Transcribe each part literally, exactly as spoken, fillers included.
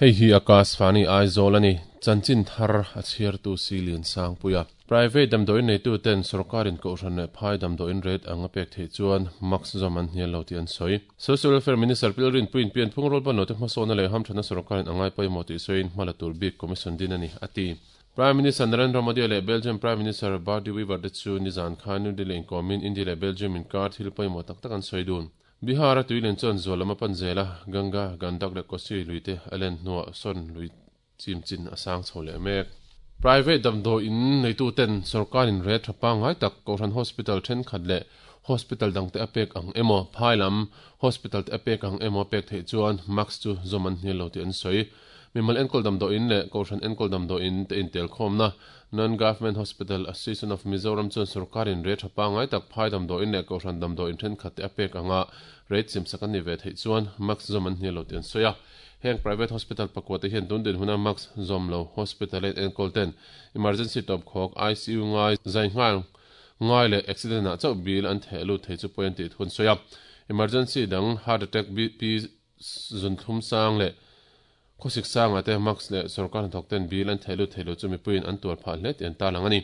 Hei hi Akashvani Aizawl ani chanchin thar a chhiartu Silian Sangpuia. Private damdawiin neitu ten sorkarin kohhran leh phai damdawiin rate anga pek theih chuan max zawm an hnial lo tih an sawi. Social Welfare Minister Pilrin Puin pian phung rual ban lo te hmasawna leh hamthana sorkarin angai pawimawh tih sawiin hma la tur bik commission din ani a ti. Prime Minister Narendra Modi leh Belgium Prime Minister Bart De Wever te chu nizan khan New Delhi inkawmin India leh Belgium inkar thil pawimawh tak tak an sawi dun. Bihar a tuilen chuan zual lama pan zela Ganga Gandak leh Kosi luite a len hnuah sawn lui chim chin a sang chho leh mek. Private damdawiin neitu ten sorkarin rate tha pangngai tak Kohhran Hospital thenkhat leh hospital dangte a pek ang emaw phai lam hospital te a pek ang emaw pek theih chuan max chu zawm an hnial lo tih an sawi. Mimal enkawl damdawiin leh Kohhran enkawl damdawiin te intel khawmna Non-Government Hospital Association of Mizoram chuan sorkarin rate tha pangngai tak phai damdawiin leh Kohhran damdawiin thenkhat te a pek anga rate chimsak an ni ve theih chuan max zawm an hnial lo tih an sawi a. Heng private hospital pakua te hian tun din huna max zawm lo hospital in enkawl ten emergency top khawk I C U ngai zai ngal ngai leh accident ah chauh bil an theh lut thei chu pawh an tih thun sawi a. Emergency dang heart attack B P zun thlum sang leh khawsik sanga te max leh sorkar hnathawk ten bil an theh lut thei lo chu mipuiin an tuar phah hle tih an tarlang ani.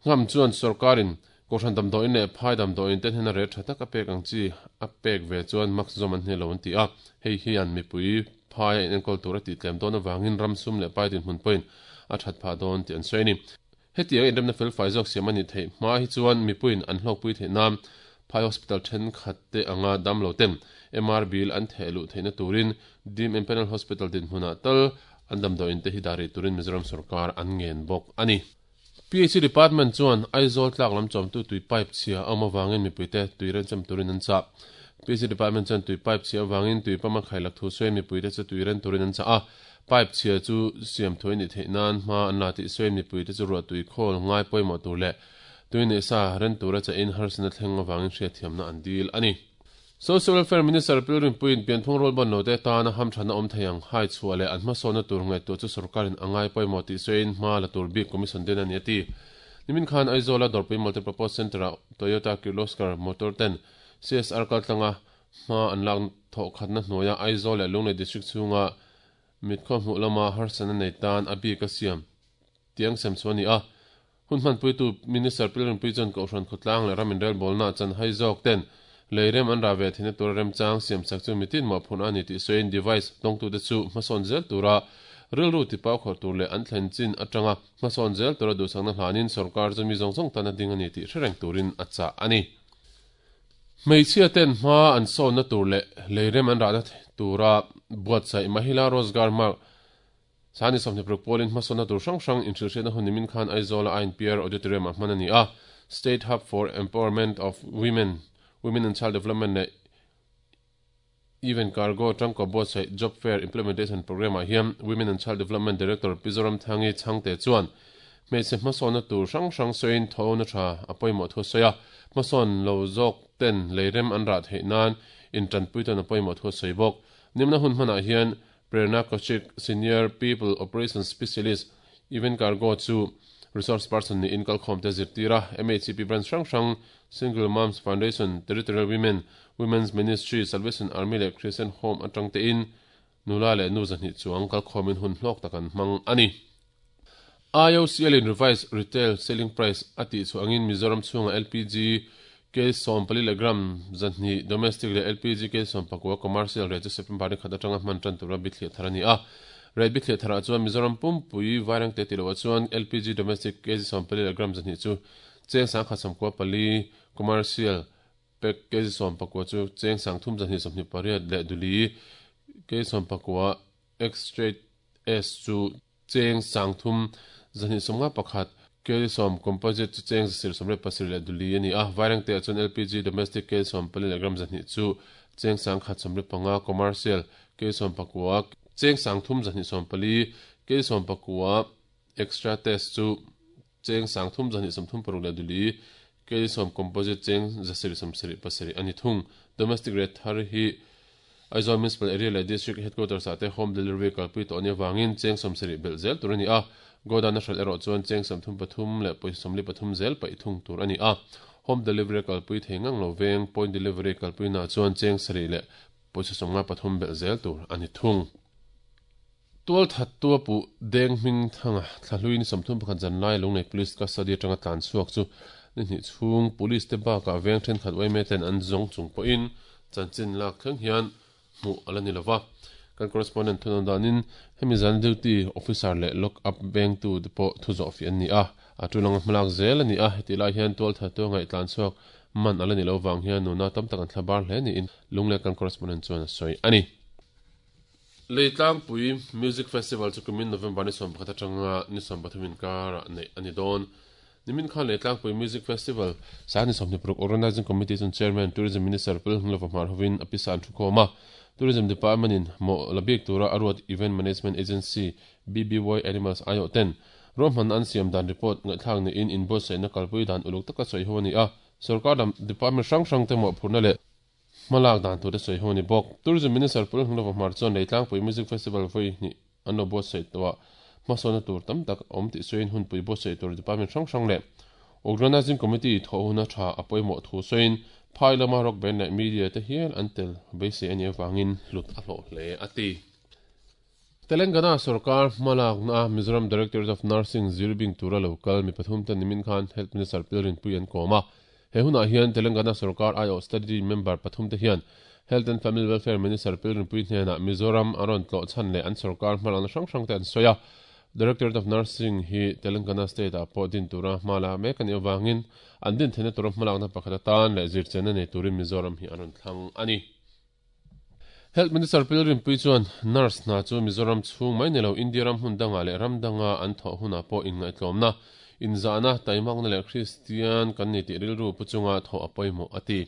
Ngam chuan sorkarin Kohhran damdawiin leh phai damdawiin ten hian a rate tha tak a pek ang chi a pek ve chuan max zawm an hnial lo an ti a. Hei hian mipui phai a in enkawl tur a tih tlem dawn avangin ram sum leh pai din hmun pawhin a that phah dawn tih an sawi ani. Hetiang inremna fel fai zawk siam ani theih hma hi chuan mipuiin an hlawkpui theih nan phai hospital thenkhat te anga dam lo ten M R bill an theh luh theihna turin Dim Empanel Hospital din hmunah tal an damdawiin te hi dari turin Mizoram sarkar an ngen bawk ani. P H C Department chuan Aizawl tlak lam chawmtu tui pipe chhia a awm avangin mipuite tui renchem turin an chah. P H C Department chuan tui pipe chhia avangin tui pama khailak thu sawi mipuite chu tui ren turin an chah a. Pipe chhia chu siam thuai ni theih nan hma an la tih sawi mipuite chu ruah tui khawl ngai pawimawh tur leh tui nei sa ren tura cha in harsana thleng avangin hriatthiamna an dil ani. Social Welfare Minister Pilrin Puin pianphung rual ban lo te tana hamthana awm thei ang hai chhuah leh an hmasawna tur ngaihtuah chu sorkarin angai pawimawh tih sawiin hma la tur bik commission den ani a ti. Nimin khan Aizawl a Dawrpui Multipurpose Centre-a Toyota Kirloskar Motor ten C S R kaltlanga hma an lak thawh khatna hnuaia Aizawl leh Lunglei District chhunga mitkhaw hmuh lama harsana nei tan a bik a siam tiang sem chu ani a. Hun hmanpuitu Minister Pilrin Pui chuan Kohhran khawtlang leh ram inrel bawlna chan hai zawk ten leirem an ra ve theihna tur rem chang siam sak chu mitin mawh phun ani tih sawiin device tawngtu te chu hmasawn zel tura rilru tipau khawr tur leh an thlen chin atanga hmasawn zel tura duhsakna hlanin sarkar chu mi zawng zawng tan a ding ani tih hrereng turin a chah ani. Hmeichhia ten hma an sawnna tur leh leirem an rahna tura buatsaih Mahila Rozgar Marg Sani sawmhnih paruk pawlin hmasawnna tur hrang hrang inhrilhriatna hun nimin khan Aizawl a I N P R Auditorium ah hman ani a. State Hub for Empowerment of Women, Women and Child Development leh Even Cargo tangkaw buatsaih Job Fair Implementation Program ah hian Women and Child Development Director Pizoram Thangi Chhangte chuan hmeichhe hmasawnna tur hrang hrang sawiin thawhna tha a pawimawh thu sawi a. Hmasawn lo zawk ten leirem an rah theih nan intanpui tawn a pawimawh thu sawi bawk. Nimna hun hmanah hian Prerna Kaushik, Senior People Operations Specialist, Even Cargo chu resource person ni in kalkhawm te zirtira M H C P branch hrang hrang Single Moms Foundation, Territorial Women, Women's Ministry, Salvation Army leh Christian Home atang te in nula leh nu zahnih chuang kalkhawmin hun hlawk tak an hmang ani. I O C L in revised retail selling price a tih chu angin Mizoram chhunga L P G K sawm pali leh gram zahnih domestic leh L P G K sawm pakua commercial rate chu September ni khat atanga hman tan tura bithliah thar ani a. Rate bithliah tharah chuan Mizoram pumpui vairang te tiloah chuan L P G domestic K G sawm pali leh gram zahnih chu cheng sang khat sawmkua pali commercial pack K G sawm pakua chu cheng sang thum zahnih sawmhnih pariat leh duli K sawm pakua X-straight S chu cheng sang thum zahnih sawmnga pakhat K sawm composite chu cheng zasir sawmriat pasarih leh duli ani a. Vairang te ah chuan L P G domestic K sawm pali leh gram zahnih chu cheng sang khat sawmriat panga commercial K sawm pakua cheng sang thum zahnih sawm pali K sawm pakua extra test chu cheng sang thum zahnih sawm thum paruk leh duli K sawm composite cheng zasir sawm sarih pasarih ani thung. Domestic rate thar hi Aizawl Municipal Area leh District Headquarters ah te home delivery kalpui tawh ani awangin cheng sawm sarih belh zel tur ani a. Godown a hralh erawh chuan cheng sawm thum pathum leh pawisa sawmli pathum zel paih thung tur ani a. Home delivery kalpui thei ngang lo veng point delivery kalpui na chuan cheng sarih leh pawisa sawmnga pathum belh zel tur ani thung. Tual that tua pu deng hming thanga thlahlui ni sawmthum pakhat zanlai Lunglei Police custody atanga tlan chhuak chu ni hnih chhung police te bakah veng thenkhat uaime ten an zawng chung pawhin chanchin lak thleng hian hmuh ala ni lova. Kan correspondent thunawn danin hemi zan duty officer leh lock up veng tu te pawh thu zawh fi an ni a, a tulanga hmalak zel ani a. Heti lai hian tual that tua ngaih tlan chhuak man ala ni lo wang hian nuna tam tak an thlabar hle niin Lunglei kan correspondent chuan a sawi ani. Leitlangpui Music Festival chu kumin November ni sawm pakhat atanga ni sawm pathum inkar nei ani dawn. Nimin khan Leitlangpui Music Festival sa ni sawmhnih paruk Organizing Committee chun Chairman Tourism Minister Pu Hlova Hmar hovin a pisa an thu khawm a. Tourism Department in mo labik tura aruat Event Management Agency B B Y Animals ayo ten rohman an siam dan report ngaithlak ni in invoice na kalpui dan uluk taka soi ho ani a. Sarkar dam department hrang hrang te mo phurna le malak dan tur te soi ho ni bawk. Tourism Minister Pu Hlova Hmar chuan Leitlangpui Music Festival voi ni an lo bo sei towa masona tur tam tak awm tih sawiin hunpui bo sei tur department hrang hrang le Organizing Committee tho huna tha apoimo thu sawiin phai lama rock band leh media te hian an tel beisei ani awangin hlut a hlawh hle ati. Telangana Sarkar malak na Mizoram Directorate of Nursing zirbing tura local mi pathum ten nimin khan Health Minister Pilrin Pui an kawma. He huna hian Telangana Sarkar I O study member pathum te hian Health and Family Welfare Minister Pilrin Pui hnena Mizoram aron tlo chan le an sarkar hmalak na hrang hrang te an soya. Directorate of Nursing hi Telangana State a pawh din tura hmala mek ani awangin an din thena tura hmalak na pakhat atan leh zirchen ani turin Mizoram hi aron thlang ani. Health Minister Pilrin Pui chuan nurse na chu Mizoram chhung mai nilo India ram hun danga leh ram danga an thaw huna pawh in ngaitlawmna in zahna taimak na leh Christian kan ni tih rilru pu chunga thaw a pawimawh ati.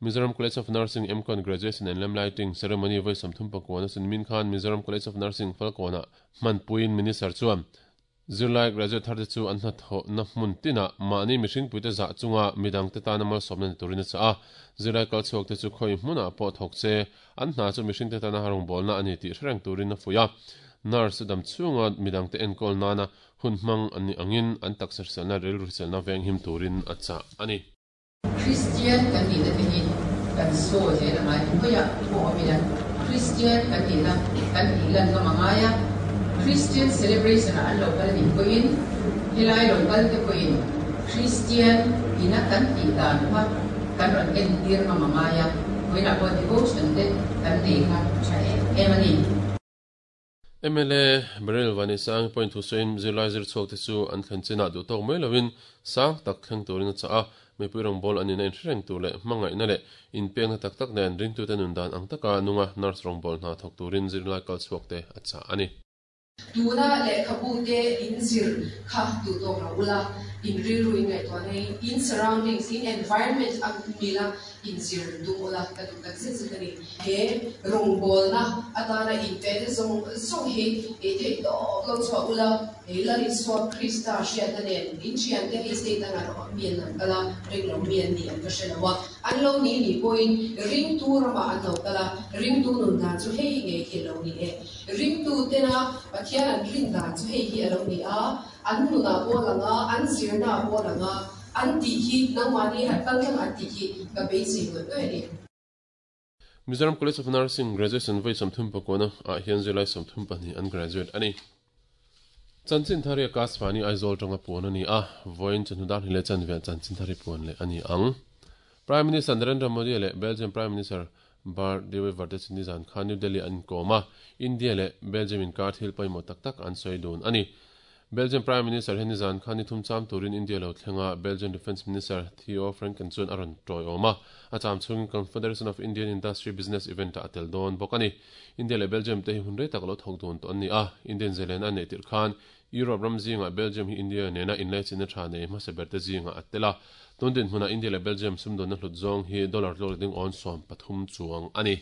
Mizoram College of Nursing M Con Graduation and Lamp Lighting Ceremony voi sawmthum pakua sin min khan Mizoram College of Nursing Falkona hmanpuiin Minister chuan zirlai graduate thar te chu an hna thaw na hmun tina mahni mihring puite zah chunga midang te tana malsawmna ni turin a cha a. Zirlai kal chhuak te chu khawi hmunah pawh thawk che an hna chu mihring te tana harung bawlna ani tih hrereng turin a fuih a. Nurse dam chunga midang te enkawl nana hun hmang ani angin an taksa hriselna rilru hriselna veng him turin a cha ani. Christian kan ni na te hi kan so zel angai hoya pawh awm Christian kan ni na kan ti lan ngam angaya Christian celebration an local ni pawhin helai local te pawhin Christian ina kan ti dan kha kan ron en tir ngam angaya hoina pawh devotion te kan nei kha tha em ani. M L A Beryl Vanisang point Hussein zirlai zir chhuak te chu an thlen chinah duh tawk mai lovin sang tak thleng turin a cha a. Mipui rawng bawl ani na inhrereng tur leh hmangaih na leh inpekna tak tak nen ringtu te nun dan ang taka nunga nurse rawng bawl hna thawk turin zirlai kal chhuak te a cha ani. Tuna leh khabu te in zir kha duh tawk lo ula in rilru in ngaihtuah nei in surroundings in environment ang mila in zir duh ula ka duh tak zet zet ani. He rawng bawl na atana in pe te zawng zawng hi e thei tawk lo chhuah ula he lal Isua Krista hriatna nen in thian te hei state anga rawh mian an kala ring lo mian ni an ka hre lo a an lo ni ni pawhin ring tu ramah an lo kala ring tu nun dan chu hei ngei hi lo ni e ring tu tena Pathian an rin dan chu hei hi a lo ni a an nuna pawh langa an zirna pawh langa an tih hi nangmahni han kal thleng an tih hi ka beisei ngawt ngawt ani. Mizoram College of Nursing graduation voi sawmthum pakua ah hian zirlai sawmthum pahnih an graduate ani. Chanchin thari Akashvani Aizawl tanga puan ani a voin chanhudar hile chanve chanchin thari puan le ani ang. Prime Minister Narendra Modi le Belgium Prime Minister Bart De Wever te chini zan khan New Delhi an kawma India le Belgium in kar thil pawimawh tak tak an sawi dun ani. Belgium Prime Minister heni zan khan ni thum cham turin India lo thlenga Belgium Defence Minister Theo Franken chuan a rawn tawi awm a. A cham chhung Confederation of Indian Industry Business Event a tel dawn bawk ani. India le Belgium te hi hun rei tak lo thawk dun tawh an ni a. Indian zelen a nei tir khan Europe ram zinga Belgium hi India nena inlai chin a tha nei hmasa ber te zinga a tela. Tun din hmuna India le Belgium sumdawn na hlut zawng hi dollar tlawk ding awn sawm pathum chuang ani.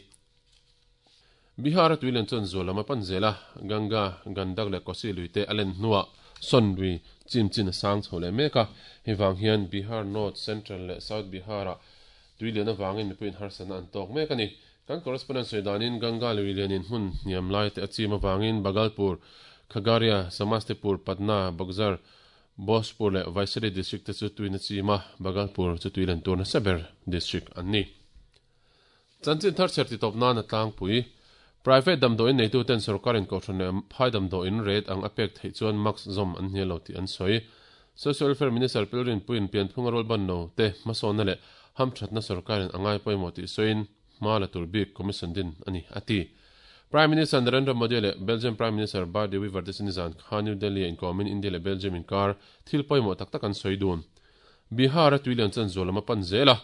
Bihar tuilen chuan zualama pan zela Ganga Gandak le Kosi luite alen hnuah sonrui chim chin sang chho le meka hewang hian Bihar North Central le South Bihara tuilen awangin mipuiin harsana an tawk mek ani. Kan correspondent sawidanin Ganga luilenin hmun hniam lai te a chim awangin Bhagalpur, Khagaria, Samastipur, Patna, Buxar, Bhojpur le Vaishali district te chu tuina chima Bhagalpur chu tuilen turna saber district an ni. Chanchin thar cher ti tawp nan a tlangpui Private damdawiin neitu ten sorkarin kohhran leh phai damdawiin rate ang a pek theih chuan mask zawm an hnial lo tih an sawi. Social Welfare Minister Pilrinpuiin pianphunga rualban lo te hmasawnna leh hamthatna sorkarin a ngai pawimawh tih sawiin hma la tur bik commission din a ni a ti. Prime Minister Narendra Modi leh Belgium Prime Minister Bart De Wever te chu nizan khan New Delhi-a inkawmin India leh Belgium inkar thil pawimawh tak tak an sawi dun. Bihar-a tuilian chan zual lam a pan zel a,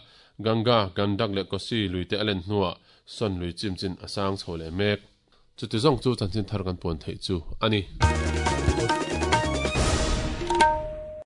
Ganga, Gandak leh Kosi lui te a len hnuah sawn lui chim chin a sang chho leh mek. Chuti zawng chu chanchin thar kan puan theih chu a ni.